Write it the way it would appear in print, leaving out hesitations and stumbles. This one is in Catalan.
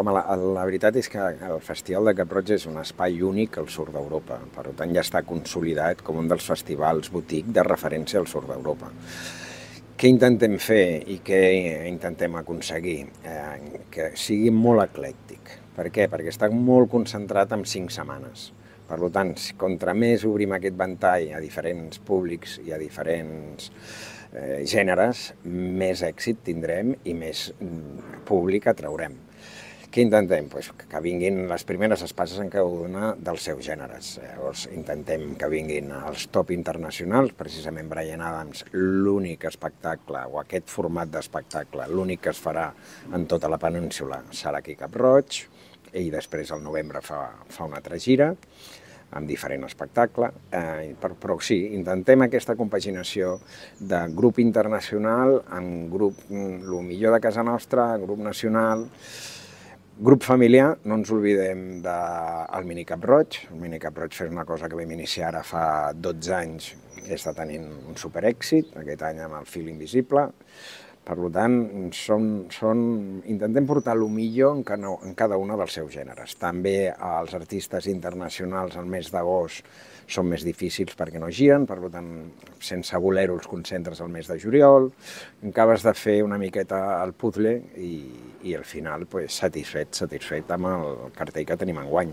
Home, la veritat és que el Festival de Cap-roig és un espai únic al sud d'Europa. Per tant, ja està consolidat com un dels festivals boutique de referència al sud d'Europa. Què intentem fer i què intentem aconseguir? Que sigui molt eclèctic. Per què? Perquè està molt concentrat en 5 setmanes. Per tant, contra més obrim aquest ventall a diferents públics i a diferents gèneres, més èxit tindrem i més públic atraurem. Què intentem? Que vinguin les primeres espases en cada una dels seus gèneres. Llavors intentem que vinguin els top internacionals, precisament Bryan Adams, l'únic espectacle, o aquest format d'espectacle, l'únic que es farà en tota la península serà aquí a Cap-roig, i després al novembre fa una altra gira, amb diferent espectacle, però sí, intentem aquesta compaginació de grup internacional amb grup, el millor de casa nostra, grup nacional. Grup familiar, no ens oblidem del Mini Cap-roig. El Mini Cap-roig és una cosa que vam iniciar ara fa 12 anys i està tenint un superèxit, aquest any amb el Fil Invisible. Per tant, intentem portar el millor en cada un dels seus gèneres. També els artistes internacionals al mes d'agost són més difícils perquè no giren, per tant, sense voler-ho els concentres al mes de juliol, acabes de fer una miqueta el puzzle i al final satisfet amb el cartell que tenim enguany.